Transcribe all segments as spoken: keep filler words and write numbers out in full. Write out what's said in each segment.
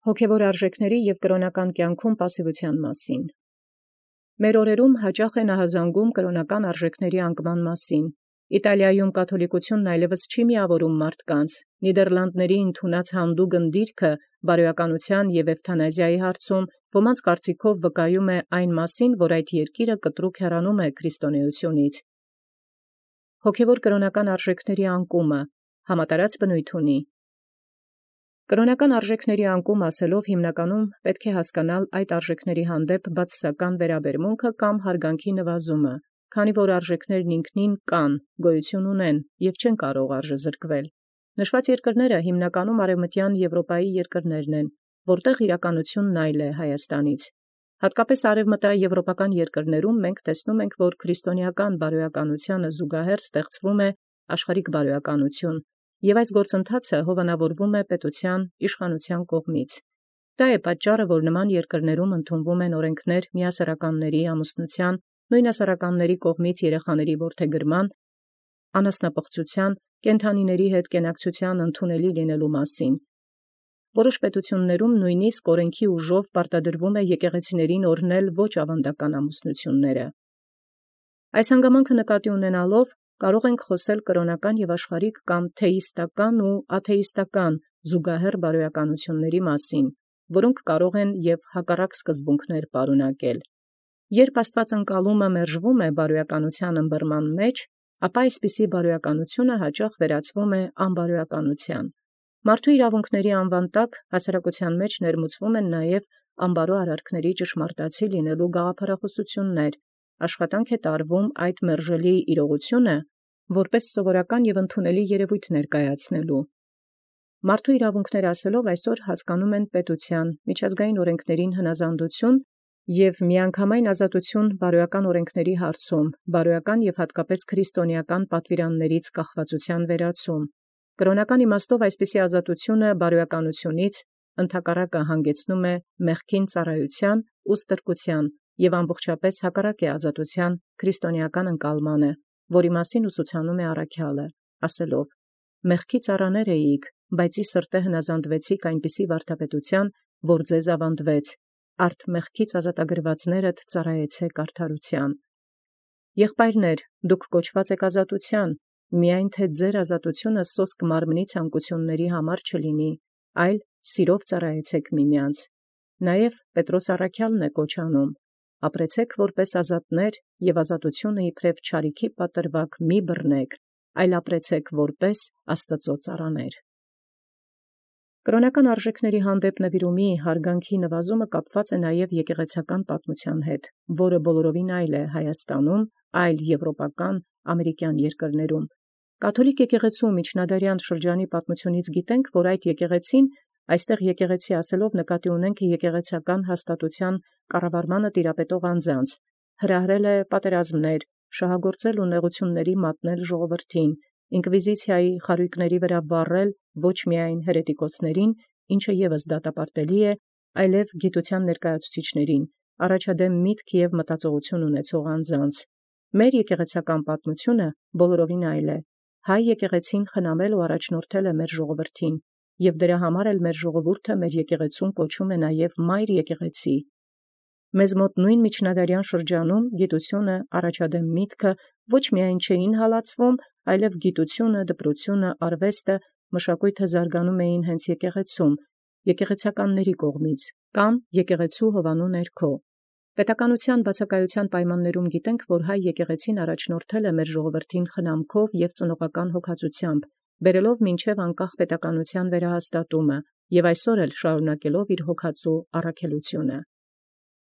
Հոգևոր արժեքների և կրոնական կյանքում պասիվության մասին։ Մեր օրերում հաճախ է նահազանգում կրոնական արժեքների անկման մասին։ Իտալիայում կաթոլիկությունն այլևս չի միավորում մարդկանց։ Նիդերլանդների ընդունած հանդուգն դիրքը բարոյականության և էվթանազիայի հարցում ոմանց կարծիքով վկայում է այն մասին, որ այդ երկիրը կտրուկ հեռանում է քրիստոնեությունից։ Հոգևոր կրոնական արժեքների անկումը համատարած բնույթ ունի։ Կրոնական արժեքների անկում ասելով հիմնականում պետք է հասկանալ այդ արժեքների հանդեպ բացասական վերաբերմունքը կամ հարգանքի նվազումը, քանի որ արժեքներն ինքնին կան, գոյություն ունեն և չեն կարող արժեզրկվել։ Նշված երկրները հիմնականում արևմտյան Եվրոպայի երկրներն են, որտեղ իրականությունն այլ է Հայաստանից։ Հատկապես արևմտաեվրոպական երկրներում մենք տեսնում ենք, որ քրիստոնեական բարոյականությանը զուգահեռ ստեղծվում է աշխարհիկ բարոյականություն, և այս գործընթացը հովանավորվում է պետության իշխանության կողմից։ Դա է պատճառը, որ նման երկրներում ընդունվում են օրենքներ միասեռականների ամուսնության, նույն ասեռականների կողմից երեխաների որդեգրման, անասնապղծության, կենդանիների հետ կենակցության ընդունելի լինելու մասին։ Որոշ պետություններում նույնիսկ օրենքի ուժով պարտադրվում է եկեղեցիներին օրհնել ոչ ավանդական ամուսնությունները։ Այս հանգամանքը նկատի ունենալով կարող ենք խոսել կրոնական և աշխարհիկ կամ թեիստական ու աթեիստական զուգահեռ բարոյականությունների մասին, որոնք կարող են և հակառակ սկզբունքներ պարունակել։ Երբ Աստուած ընկալումը մերժվում է բարոյականության ըմբռնման մեջ, ապա այսպիսի բարոյականությունը հաճախ վերածվում է անբարոյականության։ Մարդու իրավունքների անվան տակ հասարակության մեջ ներմուծվում են նաև անբարո արարքների ճշմարտացի լինելու գաղափարախոսություններ, աշխատանք է տարվում այդ մերժելի իրողությունը որպես սովորական և ընդունելի երևույթ ներկայացնելու։ Մարդու իրավունքներ ասելով այսօր հասկանում են պետության, միջազգային օրենքներին հնազանդություն և միանգամայն ազատություն բարոյական օրենքների հարցում, բարոյական և հատկապես քրիստոնեական պատվիրաններից կախվածության վերացում։ Կրոնական իմաստով այսպիսի ազատությունը բարոյականությունից ընդհակառակը հանգեցնում է մեղքին ծառայության ու ստրկության և ամբողջապես հակառակ է ազատության քրիստոնեական ընկալմանը, որի մասին ուսուցանում է առաքյալը, ասելով. «Մեղքի ծառաներ էիք, բայց ի սրտե հնազանդվեցիք այնպիսի վարդապետության, որ ձեզ ավանդվեց, արդ մեղքից ազատագրվածներդ ծառայեցեք արդարության»։ Եղբայրներ, դուք կոչված եք ազատության, միայն թե ձեր ազատությունը սոսկ մարմնի ցանկությունների համար չլինի, այլ սիրով ծառայեցեք միմյանց։ Նաև Պետրոս առաքյալն է կոչ անում. «Ապրեցեք որպես ազատներ և ազատությունը իբրև չարիքի պատրվակ մի բռնեք, այլ ապրեցեք որպես Աստուծո ծառաներ»։ Կրոնական արժեքների հանդեպ նվիրումի հարգանքի նվազումը կապված է նաև եկեղեցական պատմության հետ, որը բոլորովին այլ է Հայաստանում, այլ եվրոպական, ամերիկյան երկրներում։ Կաթոլիկ եկեղեցու միջնադարյան շրջանի պատմությունից գիտենք, որ այդ եկեղեցին, այստեղ եկեղեցի ասելով նկատի ունենք եկեղեցական հաստատության կառավարմանը տիրապետող անձանց, հրահրել է պատերազմներ, շահագործել ու նեղությունների մատնել ժողովրդին, ինկվիզիցիայի խարույկների վրա վառել ոչ միայն հերետիկոսներին, ինչը ևս դատապարտելի է, այլև գիտության ներկայացուցիչներին, առաջադեմ միտք և մտածողություն ունեցող անձանց։ Մեր եկեղեցական պատմությունը բոլորովին այլ է։ Հայ եկեղեցին խնամել ու առաջնորդել է մեր ժողովրդին, և դրա համար էլ մեր ժողովուրդը մեր եկեղեցուն կոչում է նաև մայր եկեղեցի։ Մեզ մոտ նույն միջնադարյան շրջանում գիտությունը, առաջադեմ միտքը ոչ միայն չէին հալածվում, այլև գիտությունը, դպրությունը, արվեստը, մշակույթը զարգանում էին հենց եկեղեցում, եկեղեցականների կողմից կամ եկեղեցու հովանու ներքո։ Պետականության բացակայության պայմաններում գիտենք, որ հայ եկեղեցին առաջնորդել է մեր ժողովրդին խնամքով և ծնողական հոգացությամբ, բերելով մինչև անկախ պետականության վերահաստատումը և այսօր էլ շարունակելով իր հոգածու առաքելությունը։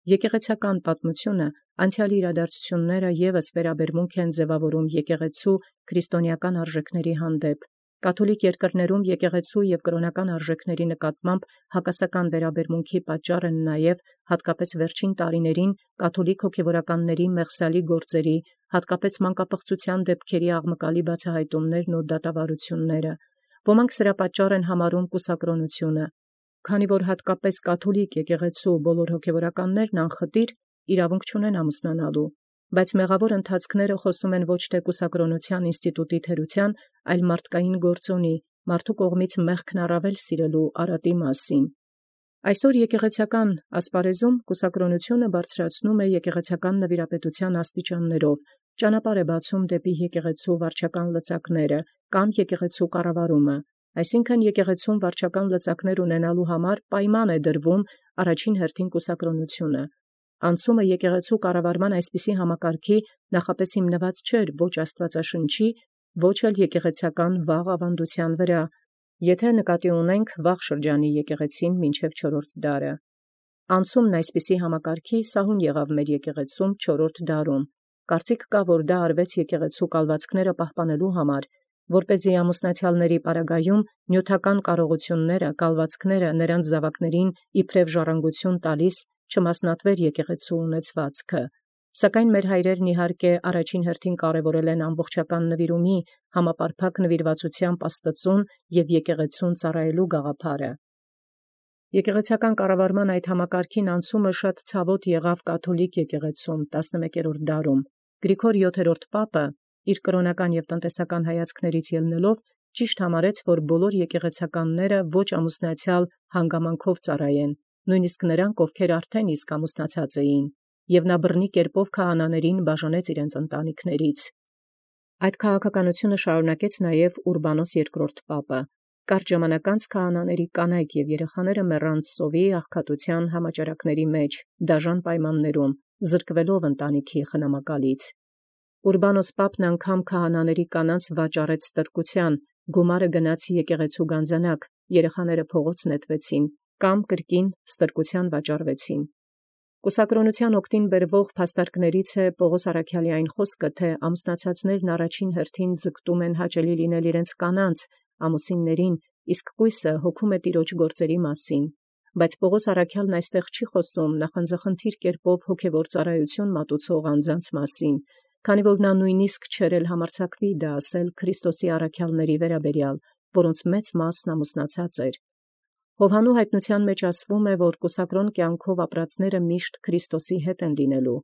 Եկեղեցական պատմությունը անցյալի իրադարձությունները ևս վերաբերմունք են ձևավորում եկեղեցու քրիստոնեական արժեքների հանդեպ։ Կաթոլիկ երկրներում եկեղեցու և կրոնական արժեքների նկատմամբ հակասական վերաբերմունքի պատճառ են նաև հատկապես վերջին տարիներին կաթոլիկ հոգևորականների մեղսալի գործերի, հատկապես մանկապղծության դեպքերի աղմկալի բացահայտումներն ու դատավարությունները։ Ոմանք սրա պատճառ են համարում կուսակրոնությունը, քանի որ հատկապես կաթոլիկ եկեղեցու բոլոր հոգևորականներն անխտիր իրավունք չունեն ամուսնանալու, բայց մեղավոր ընթացքները խոսում են ոչ թե կուսակրոնության ինստիտուտի թերության, այլ մարդկային գործոնի, մարդու կողմից մեղքն առավել սիրելու արատի մասին։ Այսօր եկեղեցական ասպարեզում կուսակրոնությունը բարձրացնում է եկեղեցական նվիրապետության աստիճաններով, ճանապարհ է բացում դեպի եկեղեցու վարչական լծակները կամ եկեղեցու կառավարումը, այսինքն եկեղեցուն վարչական լծակներ ունենալու համար պայման է դրվում առաջին հերթին կուսակրոնությունը։ Անցումը եկեղեցու կառավարման այսպիսի համակարգի նախապես հիմնված չէր ոչ աստվածաշնչի, ոչ էլ եկեղեցական վաղ ավանդության վրա, եթե նկատի ունենք վաղ շրջանի եկեղեցին մինչև չորրորդ դարը։ Անցումն այսպիսի համակարգի սահուն եղավ մեր եկեղեցում չորրորդ դարում։ Կարծիք կա, որ դա արվեց եկեղեցու կալվածքները պահպանելու համար, որպեսզի ամուսնացյալների պարագայում նյութական կարողությունները, կալվածքները նրանց զավակներին իբրև ժառանգություն տալիս չմասնատվեր եկեղեցու ունեցվածքը։ Սակայն մեր հայրերն իհարկե առաջին հերթին կարևորել են ամբողջական նվիրումի, համապարփակ նվիրվածությամբ Աստծուն և եկեղեցուն ծառայելու գաղափարը։ Եկեղեցական կառավարման այդ համակարգին անցումը շատ ցավոտ եղավ կաթոլիկ եկեղեցում տասնմեկերորդ դարում։ Գրիգոր յոթերորդ Պապը իր կրոնական և տնտեսական հայացքներից ելնելով ճիշտ համարեց, որ բոլոր եկեղեցականները ոչ ամուսնացյալ հանգամանքով ծառայեն, նույնիսկ նրանք, ովքեր արդեն իսկ ամուսնացած էին, և նա բռնի կերպով քահանաներին բաժանեց իրենց ընտանիքներից։ Այդ քաղաքականությունը շարունակեց նաև Ուրբանոս երկրորդ Պապը։ Կարճ ժամանակ անց քահանաների կանայք և երեխաները մեռան սովի աղքատության համաճարակների մեջ, դաժան պայմաններում, զրկվելով ընտանիքի խնամակալից։ Ուրբանոս Պապն անգամ քահանաների կանանց վաճառեց ստրկության, գումարը գնաց եկեղեցու գանձանակ, երեխաները փողոց նետվեցին կամ կրկին ստրկության վաճառվեցին։ Կուսակրոնության օգտին բերվող փաստարկներից է Պողոս առաքյալի այն խոսքը, թե ամուսնացածներն առաջին հերթին ձգտում են հաճելի լինել իրենց կանանց, ամուսիններին, իսկ կույսը հոգում է տիրոջ գործերի մասին։ Բայց Պողոս առաքյալն այստեղ չի խոսում նախանձախնդիր կերպով հոգևոր ծառայություն մատուցող անձանց մասին, քանի որ նա նույնիսկ չէր էլ համարձակվի դա ասել Քրիստոսի առաքյալների վերաբերյալ, որոնց մեծ մասն ամուսնացած էր։ Հովհաննու հայտնության մեջ ասվում է, որ կուսակրոն կյանքով ապրածները միշտ Քրիստոսի հետ են լինելու,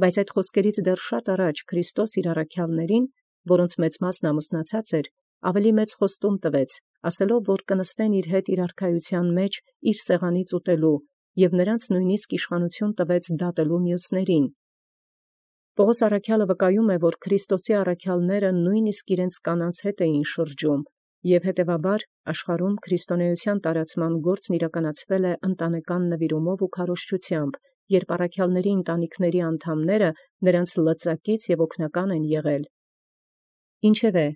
բայց այդ խոսքերից դեռ շատ առաջ Քրիստոս իր առաքյալներին, որոնց մեծ մասն ամուսնացած էր, ավելի մեծ խոստում տվեց, ասելով, որ կնստեն իր հետ իր արքայության մեջ իր սեղանից ուտելու, և նրանց նույնիսկ իշխանություն տվեց դատելու մյուսներին։ Պողոս առաքյալը վկայում է, որ Քրիստոսի առաքյալները նույնիսկ իրենց կանանց հետ էին շրջում, և հետևաբար աշխարհում քրիստոնեության տարածման գործն իրականացվել է ընտանեկան նվիրումով ու քարոզչությամբ, երբ առաքյալների ընտանիքների անդամները նրանց լծակից և օգնական են եղել։ Ինչևէ,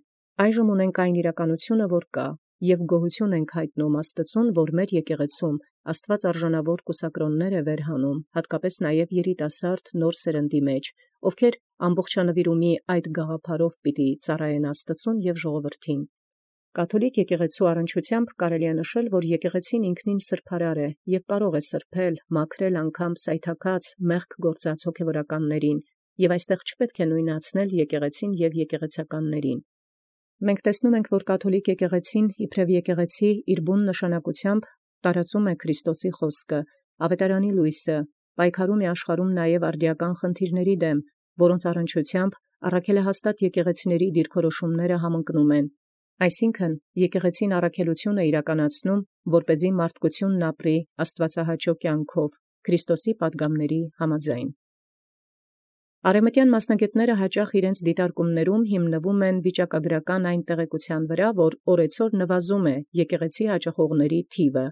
այժմ ունենք այն իրականությունը, որ կա, և գոհություն ենք հայտնում Աստծուն, որ մեր եկեղեցում Աստված արժանավոր կուսակրոններ է վերհանում, հատկապես նաև երիտասարդ նոր սերնդի մեջ, ովքեր ամբողջանվիրումի այդ գաղափարով պիտի ծառայեն Աստծուն և ժողովրդին։ Կաթոլիկ եկեղեցու առնչությամբ կարելի է նշել, որ եկեղեցին ինքնին սրբարար է և կարող է սրբել, մաքրել անգամ սայթաքած, մեղք գործած հոգևորականներին, և այստեղ չպետք է նույնացնել եկեղեցին և եկեղեցականներին։ Մենք տեսնում ենք, որ կաթոլիկ եկեղեցին իբրև եկեղեցի իր բուն նշանակությամբ տարածում է Քրիստոսի խոսքը, ավետարանի լույսը, պայքարում է աշխարհում նաև արդիական խնդիրների դեմ, որոնց առնչությամբ առաքելահաստատ եկեղեցիների դիրքորոշումները համընկնում են։ Այսինքն եկեղեցին առաքելություն է իրականացնում, որպեսզի մարդկությունն ապրի աստվածահաճո կյանքով, Քրիստոսի պատգամների համաձայն։ Արևմտյան մասնագետները հաճախ իրենց դիտարկումներում հիմնվում են վիճակագրական այն տեղեկության վրա, որ օրեցօր նվազում է եկեղեցի հաճախողների թիվը,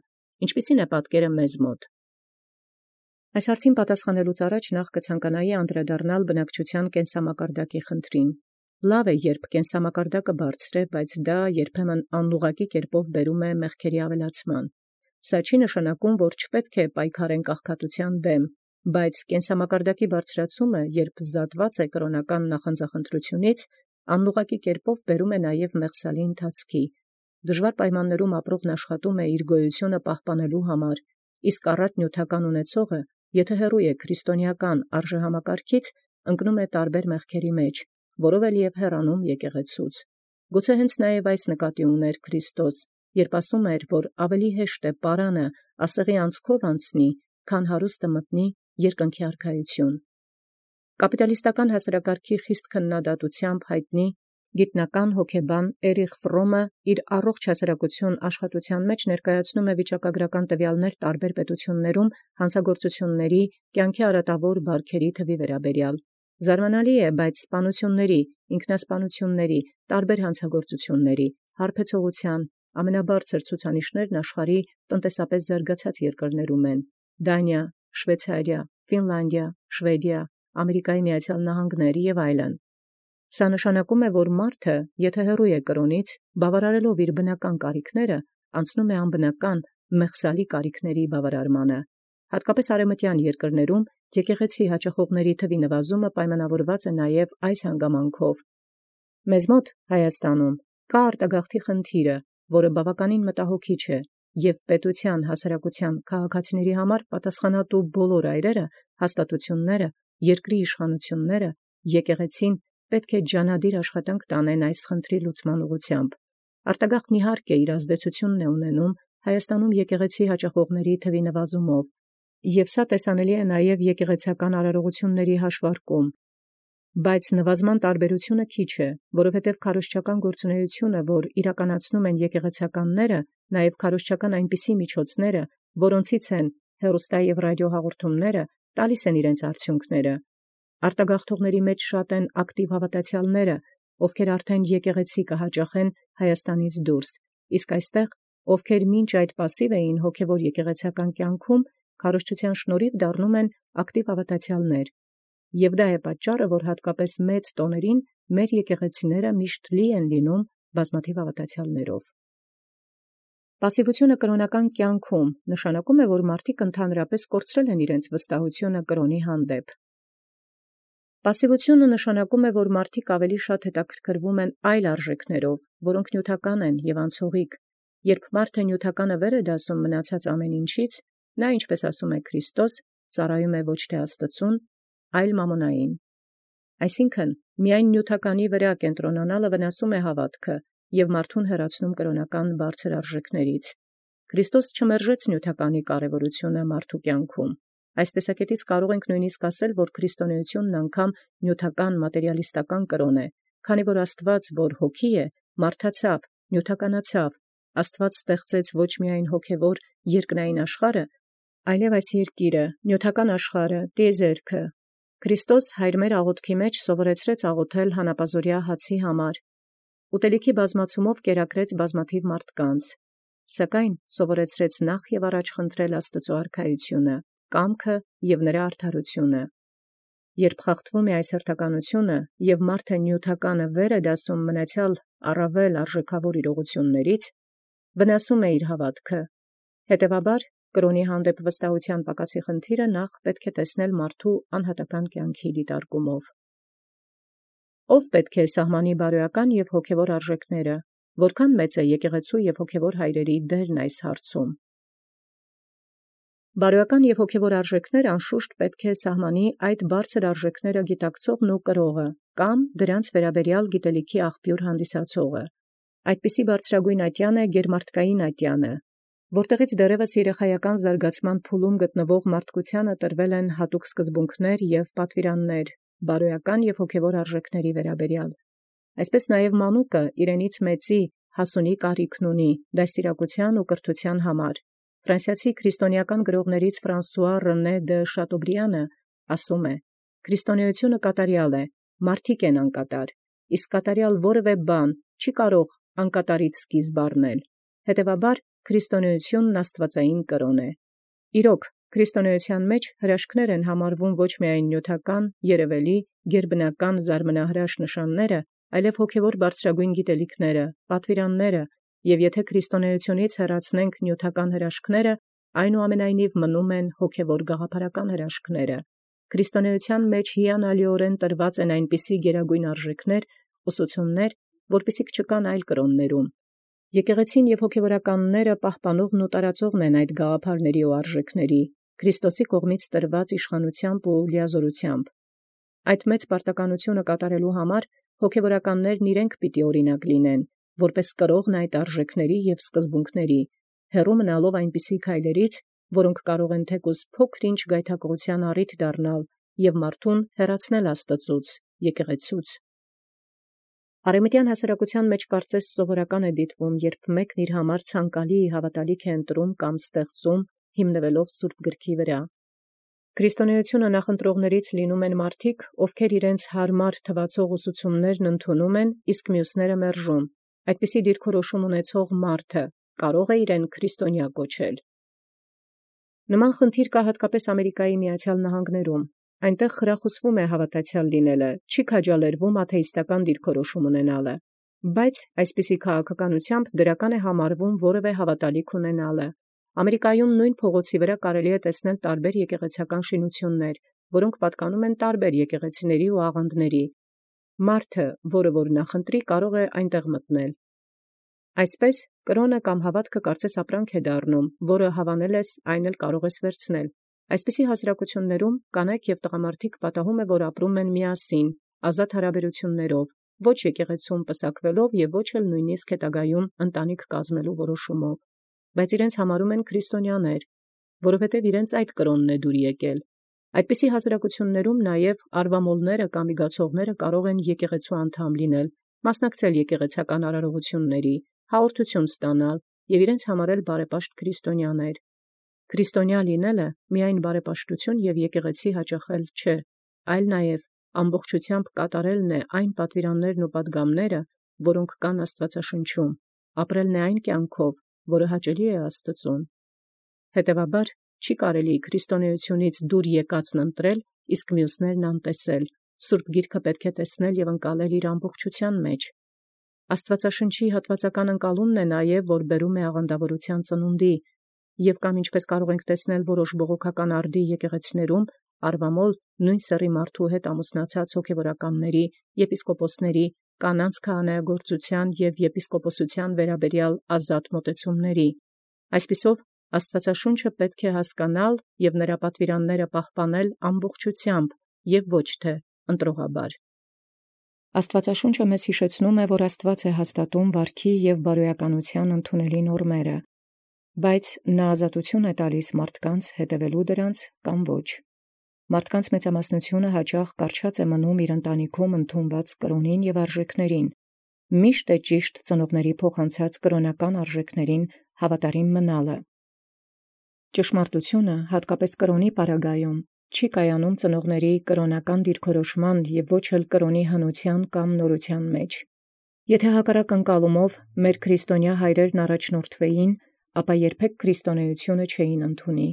ինչպիսին է պատկերը մեզ մոտ։ Այս հարցին պատասխանելուց առաջ նախ կցանկանայի անդրադառնալ բնակչության կենսամակարդակի խնդրին։ Լավ է, երբ կենսամակարդակը բարձր է, բայց դա երբեմն անուղղակի կերպով բերում է մեղքերի ավելացման։ Սա չի նշանակում, որ չպետք է պայքարենք աղքատության դեմ, բայց կենսամակարդակի բարձրացումը, երբ զատված է կրոնական նախանձախնդրությունից, անուղղակի կերպով բերում է նաև մեղսալի ընթացքի։ Դժվար պայմաններում ապրողն աշխատում է իր գոյությունը պահպանելու համար, իսկ առատ նյութական ունեցողը, եթե հեռու է քրիստոնեական արժեհամակարգից, ընկնում է տարբեր մեղքերի մեջ, որով էլ և հեռանում եկեղեցուց։ Գուցե հենց նաև այս նկատի ուներ Քրիստոս, երբ ասում էր, որ ավելի հեշտ է պարանը ասեղի անցքով անցնի, քան հարուստը մտնի երկնքի արքայություն։ Կապիտալիստական հասարակարգի խիստ քննադատությամբ հայտնի Գիտնական հոգեբան Էրիխ Ֆրոմը իր առողջ հասարակություն աշխատութեան մեջ ներկայացնում է վիճակագրական տվյալներ տարբեր պետություններում հանցագործությունների, կյանքի արատավոր բարքերի թվի վերաբերյալ։ Զարմանալի է, բայց սպանությունների, ինքնասպանությունների, տարբեր հանցագործությունների, հարբեցողության ամենաբարձր ցուցանիշներն աշխարհի տնտեսապես զարգացած երկրներում են. Դանիա, Շվեյցարիա, Ֆինլանդիա, Շվեդիա, Ամերիկայի Միացյալ Նահանգներ եւ այլն։ Սա նշանակում է, որ մարդը, եթե հեռու է կրոնից, բավարարելով իր բնական կարիքները, անցնում է անբնական, մեղսալի կարիքների բավարարմանը։ Հատկապես արևմտյան երկրներում եկեղեցի հաճախողների թվի նվազումը պայմանավորված է նաև այս հանգամանքով։ Մեզ մոտ Հայաստանում կա արտագաղթի խնդիրը, որը բավականին մտահոգիչ է, եւ պետության, հասարակության, քաղաքացիների համար պատասխանատու բոլոր այրերը, հաստատությունները, երկրի իշխանությունները, եկեղեցին պետք է ջանադիր աշխատանք տանեն այս խնդրի լուծման ուղղությամբ։ Արտագաղթն իհարկե իր ազդեցությունն է ունենում Հայաստանում եկեղեցի հաճախողների թվի նվազումով, եւ սա տեսանելի է նաև եկեղեցական արարողությունների հաշվարկում։ Բայց նվազման տարբերությունը քիչ է, որովհետև քարոզչական գործունեությունը, որ իրականացնում են եկեղեցականները, նաև քարոզչական այնպիսի միջոցները, որոնցից են հեռուստա եւ ռադիո հաղորդումները, տալիս են իրենց արդյունքները։ Արտագաղթողների մեջ շատ են ակտիվ հավատացյալները, ովքեր արդեն եկեղեցի կհաճախեն Հայաստանից դուրս, իսկ այստեղ, ովքեր մինչ այդ պասիվ էին հոգևոր եկեղեցական կյանքում, քարոզչության շնորհիվ դառնում են ակտիվ հավատացյալներ։ Եվ դա է պատճառը, որ հատկապես մեծ տոներին մեր եկեղեցիները միշտ լի են լինում բազմաթիվ հավատացյալներով։ Պասիվությունը կրոնական կյանքում նշանակում է, որ մարդիկ ընդհանրապես կորցրել են իրենց վստահությունը կրոնի հանդեպ։ Պասիվությունը նշանակում է, որ մարդիկ ավելի շատ հետաքրքրվում են այլ արժեքներով, որոնք նյութական են եւ անցողիկ։ Երբ մարդը նյութականը վեր է դասում մնացած ամեն ինչից, նա, ինչպես ասում է Քրիստոս, ծառայում է ոչ թե Աստծուն, այլ մամոնային։ Այսինքն, միայն նյութականի վրա կենտրոնանալը վնասում է հավատքը եւ մարդուն հեռացնում կրոնական բարձր արժեքներից։ Քրիստոս չմերժեց նյութականի կարևորությունը մարդու կյանքում։ Այս տեսակետից կարող ենք նույնիսկ ասել, որ քրիստոնեությունն անգամ նյութական մատերիալիստական կրոն է, քանի որ Աստված, որ հոգի է, մարդացավ, նյութականացավ, Աստված ստեղծեց ոչ միայն հոգևոր երկնային աշխարհը, այլև այս երկիրը, նյութական աշխարհը, տիեզերքը։ Քրիստոս հայր մեր աղոթքի մեջ սովորեցրեց աղոթել հանապազօրյա հացի համար, ուտելիքի բազմացումով կերակրեց բազմաթիվ մարդկանց, սակայն սովորեցրեց նախ եւ առաջ խնդրել Աստծո արքայությունը, կամքը եւ նրա արդարությունը։ Երբ խախտվում է այս հերթականությունը եւ մարդը նյութականը վեր է դասում մնացյալ առավել արժեքավոր իրողություններից, վնասում է իր հավատքը։ Հետևաբար, կրոնի հանդեպ վստահության պակասի խնդիրը նախ պետք է տեսնել մարդու անհատական կյանքի դիտարկումով։ Ով պետք է սահմանի բարոյական եւ հոգևոր արժեքները, որքան մեծ է եկեղեցու եւ հոգևոր հայրերի դերն այս հարցում։ Բարոյական եւ հոգևոր արժեքները անշուշտ պետք է սահմանի այդ բարձր արժեքները գիտակցողն ու կրողը կամ դրանց վերաբերյալ գիտելիքի աղբյուր հանդիսացողը։ Այդպիսի բարձրագույն ատյան է գերմարտկային ատյանը, որտեղից դեռևս երեխայական զարգացման փուլում գտնվող մարդկությանը տրվել են հատուկ սկզբունքներ եւ պատվիրաններ բարոյական եւ հոգևոր արժեքների վերաբերյալ։ Այսպես նաեւ մանուկը իրենից մեծի հասունի կարիքն ունի դաստիարակության ու կրթության համար։ Ֆրանսիացի քրիստոնեական գրողներից Ֆրանսուଆ Ռենե դե Շատոբրիանը ասում է. «Քրիստոնեությունը կատարյալ է, մարդիկ են անկատար, իսկ կատարյալ որևէ բան չի կարող անկատարից սկիզբ առնել։ Հետևաբար, քրիստոնեությունն աստվածային կրոն է»։ Իրոք, քրիստոնեության մեջ հրաշքներ են համարվում ոչ միայն նյութական, երևելի, գերբնական զարմանահրաշ նշանները, այլև հոգևոր բարձրագույն գիտելիքները, պատվիրանները, եւ եթե քրիստոնեությունից հեռացնենք նյութական հրաշքները, այնուամենայնիվ մնում են հոգևոր գաղափարական հրաշքները։ Քրիստոնեության մեջ հիանալիորեն տրված են այնպիսի գերագույն արժեքներ, ուսուցումներ, որպիսիք չկան այլ կրոններում։ Եկեղեցին եւ հոգևորականները պահպանողն ու տարածողն են այդ գաղափարների ու արժեքների, Քրիստոսի կողմից տրված իշխանությամբ ու լիազորությամբ։ Այդ մեծ պարտականությունը կատարելու համար հոգևորականներն իրենք պիտի օրինակ լինեն, որպես կրողն այդ արժեքների եւ սկզբունքների, հեռու մնալով այնպիսի քայլերից, որոնք կարող են թեկուզ փոքր-ինչ գայթակղության առիթ դառնալ եւ մարդուն հեռացնել Աստծուց, եկեղեցուց։ Արեմտյան հասարակության մեջ կարծես սովորական է դիտվում, երբ մեկն իր համար ցանկալի հավատալիք է ընտրում կամ ստեղծում, հիմնվելով Սուրբ գրքի վրա։ Քրիստոնեությունը նախընտրողներից լինում են մարդիկ, ովքեր իրենց հարմար թվացող ուսուցումներն ընդունում են, իսկ մյուսները մերժում։ Այդպիսի դիրքորոշում ունեցող մարդը կարող է իրեն քրիստոնյա կոչել։ Նման խնդիր կա հատկապես Ամերիկայի Միացյալ Նահանգներում։ Այնտեղ խրախուսվում է հավատացյալ լինելը, չի քաջալերվում աթեիստական դիրքորոշում ունենալը, բայց այսպիսի քաղաքականությամբ դրական է համարվում որևէ հավատալիք ունենալը։ Ամերիկայում նույն փողոցի վրա կարելի է տեսնել տարբեր եկեղեցական շինություններ, որոնք պատկանում են տարբեր եկեղեցիների ու աղանդների։ Մարդը, որը որ նախընտրի, կարող է այնտեղ մտնել։ Այսպես կրոնը կամ հավատքը կարծես ապրանք է դառնում, որը հավանել ես, այն էլ կարող ես վերցնել։ Այսպիսի հասարակություններում կանայք և տղամարդիկ պատահում է, որ ապրում են միասին, ազատ հարաբերություններով, ոչ եկեղեցում պսակվելով և ոչ էլ նույնիսկ հետագայում ընտանիք կազմելու որոշումով, բայց իրենց համարում են քրիստոնյաներ, որովհետև իրենց այդ կրոնն է դուր եկել։ Այդպիսի հասարակություններում նաև արվամոլները կամ իգացողները կարող են եկեղեցու անդամ լինել, մասնակցել եկեղեցական արարողությունների, հաղորդություն ստանալ և իրենց համարել բարեպաշտ քրիստոնյաներ։ Քրիստոնյա լինելը միայն բարեպաշտություն և եկեղեցի հաճախել չէ, այլ նաև ամբողջությամբ կատարելն է այն պատվիրաններն ու պատգամները, որոնք կան Աստվածաշնչում, ապրելն է այն կյանքով, որը հաճելի է Աստծուն։ Հետևաբար չի կարելի քրիստոնեությունից դուր եկածն ընտրել, իսկ մյուսներն անտեսել։ Սուրբ Գիրքը պետք է տեսնել և ընկալել իր ամբողջության մեջ։ Աստվածաշնչի հատվածական ընկալումն է նաև, որ բերում է աղանդավորության ծնունդի, և կամ ինչպես կարող ենք տեսնել որոշ բողոքական արդի եկեղեցիներում, արվամոլ նույն սեռի մարդու հետ ամուսնացած հոգևորականների, եպիսկոպոսների, կանանց քահանայագործության և եպիսկոպոսության վերաբերյալ ազատ մոտեցումների։ Այսպիսով Աստվածաշունչը պետք է հասկանալ և նրա պատվիրանները պահպանել ամբողջությամբ և ոչ թե ընտրողաբար։ Աստվածաշունչը մեզ հիշեցնում է, որ Աստված է հաստատում վարքի և բարոյականության ընդունելի նորմերը, բայց նա ազատություն է տալիս մարդկանց հետևելու դրանց կամ ոչ։ Մարդկանց մեծամասնությունը հաճախ կառչած է մնում իր ընտանիքում ընդունված կրոնին և արժեքներին։ Միշտ է ճիշտ ծնողների փոխանցած կրոնական արժեքներին հավատարիմ մնալը։ Ճշմարտությունը, հատկապես կրոնի պարագայում, չի կայանում ծնողների կրոնական դիրքորոշման և ոչ էլ կրոնի հնության կամ նորության մեջ։ Եթե հակառակ ընկալումով մեր քրիստոնյա հայրերն առաջնորդվեին, ապա երբեք քրիստոնեությունը չէին ընդունի,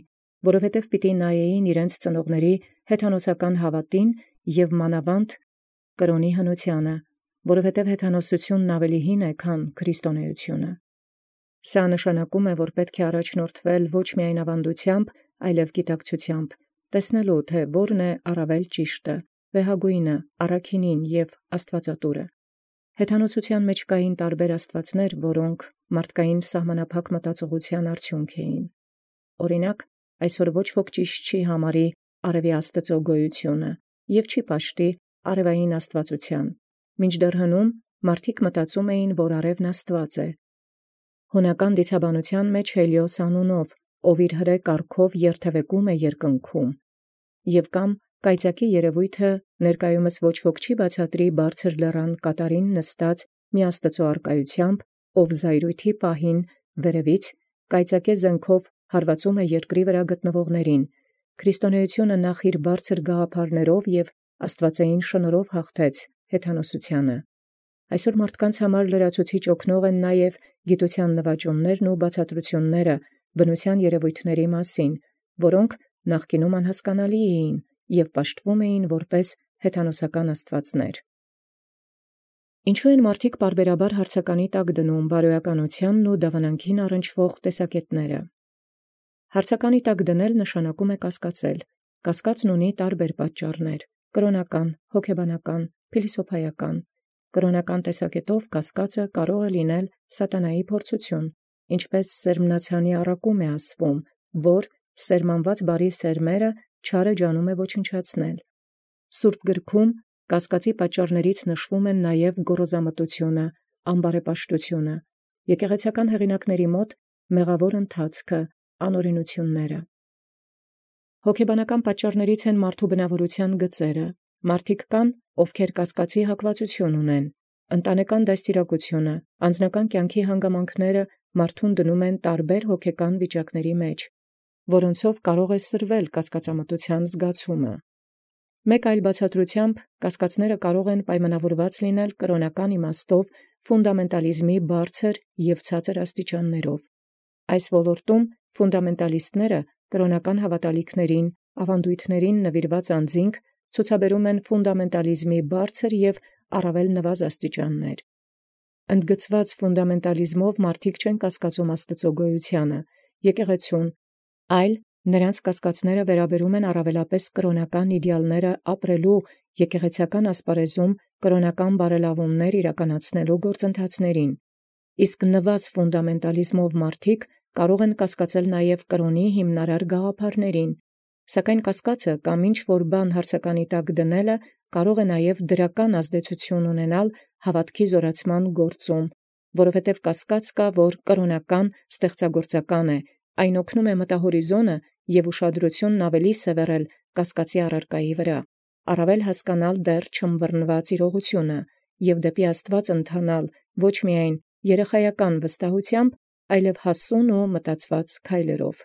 որովհետև պիտի նայեին իրենց ծնողների հեթանոսական հավատին և մանավանդ կրոնի հնությանը, որովհետև հեթանոսությունն ավելի հին է, քան քրիստոնեությունը։ Սա նշանակում է, որ պետք է առաջնորդվել ոչ միայն ավանդությամբ, այլև գիտակցությամբ, տեսնելու, թե որն է առավել ճիշտը, վեհագույնը, առաքինին և աստվածատուրը։ Հեթանոսության մեջ կային տարբեր աստվածներ, որոնք մարդկային սահմանափակ մտածողության արդյունք էին։ Օրինակ, այսօր ոչ ոք ճիշտ չի համարի արևի աստծո գոյությունը և չի պաշտի արևային աստվածության, մինչդեռ հնում մարդիկ մտածում էին, որ արևն աստված է։ Հունական դիցաբանության մեջ Հելիոս անունով, ով իր հրե կարգով երթևեկում է երկնքում, և կամ կայծակի երևույթը ներկայումս ոչ ոք չի բացատրի բարձր լեռան կատարին նստած մի աստծո առկայությամբ, ով զայրույթի պահին վերևից կայծակե զենքով հարվածում է երկրի վրա գտնվողներին։ Քրիստոնեությունը նախ իր բարձր գաղափարներով և աստվածային շնորհով հաղթեց հեթանոսությանը։ Այսօր մարդկանց համար լրացուցիչ օգնող են նաև գիտության նվաճումներն ու բացատրությունները բնության երևույթների մասին, որոնք նախկինում անհասկանալի էին և պաշտվում էին որպես հեթանոսական աստվածներ։ Ինչու են մարդիկ պարբերաբար հարցականի տակ դնում բարոյականությանն ու դավանանքին առնչվող տեսակետները։ Հարցականի տակ դնել նշանակում է կասկածել։ Կասկածն ունի տարբեր պատճառներ՝ կրոնական, հոգեբանական, փիլիսոփայական։ Կրոնական տեսակետով կասկածը կարող է լինել սատանայի փորձություն, ինչպես սերմնացանի առակում է ասվում, որ սերմանված բարի սերմերը չարը ջանում է ոչնչացնել։ Սուրբ գրքում կասկածի պատճառներից նշվում են նաև գոռոզամտությունը, ամբարեպաշտությունը, եկեղեցական հեղինակների մոտ մեղավոր ընթացքը, անօրենությունները։ Հոգեբանական պատճառներից են մարդու բնավորության գծերը։ Մարդիկ կան, ովքեր կասկածի հակվածություն ունեն, Ընտանեկան դաստիարակությունը, անձնական կյանքի հանգամանքները մարդուն դնում են տարբեր հոգեկան վիճակների մեջ, որոնցով կարող է սրվել կասկածամտության զգացումը։ Մեկ այլ բացատրությամբ կասկածները կարող են պայմանավորված լինել կրոնական իմաստով ֆունդամենտալիզմի բարձր և ցածր աստիճաններով։ Այս ոլորտում ֆունդամենտալիստները կրոնական հավատալիքներին, ավանդույթներին նվիրված անձինք ցուցաբերում են ֆունդամենտալիզմի բարձր և առավել նվազ աստիճաններ։ Ընդգծված ֆունդամենտալիզմով մարդիկ չեն կասկածում Աստծո գոյությանը, եկեղեցուն, այլ նրանց կասկածները վերաբերում են առավելապես կրոնական իդեալները ապրելու եկեղեցական ասպարեզում կրոնական բարելավումներ իրականացնելու գործընթացներին, իսկ նվազ ֆունդամենտալիզմով մարդիկ կարող են կասկածել նաև կրոնի հիմնարար գաղափարներին, սակայն կասկածը կամ ինչ-որ բան հարցականի տակ դնելը կարող է նաև դրական ազդեցություն ունենալ հավատքի զորացման գործում, որովհետև կասկած կա, որ կրոնական ստեղծագործական է, այն օգնում է մտահորիզոնը և ուշադրությունն ավելի սևեռել կասկածի առարկայի վրա, առավել հասկանալ դեռ չըմբռնված իրողությունը և դեպի Աստուած ընթանալ ոչ միայն երեխայական վստահությամբ, այլև հասուն ու մտածված քայլերով։